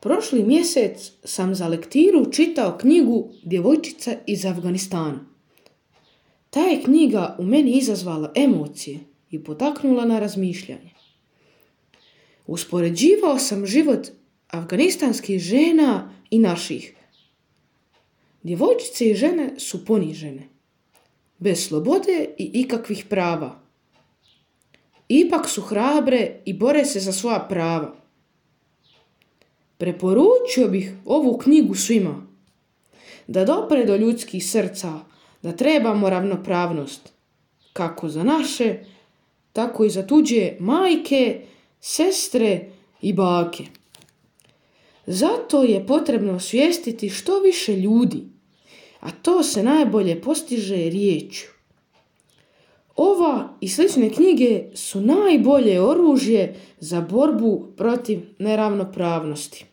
Prošli mjesec sam za lektiru čitao knjigu Djevojčica iz Afganistana. Ta je knjiga u meni izazvala emocije i potaknula na razmišljanje. Uspoređivao sam život afganistanskih žena i naših. Djevojčice i žene su ponižene, bez slobode i ikakvih prava. Ipak su hrabre i bore se za svoja prava. Preporučio bih ovu knjigu svima, da dopre do ljudskih srca, da trebamo ravnopravnost, kako za naše, tako i za tuđe majke, sestre i bake. Zato je potrebno osvijestiti što više ljudi, a to se najbolje postiže riječju. Ova i slične knjige su najbolje oružje za borbu protiv neravnopravnosti.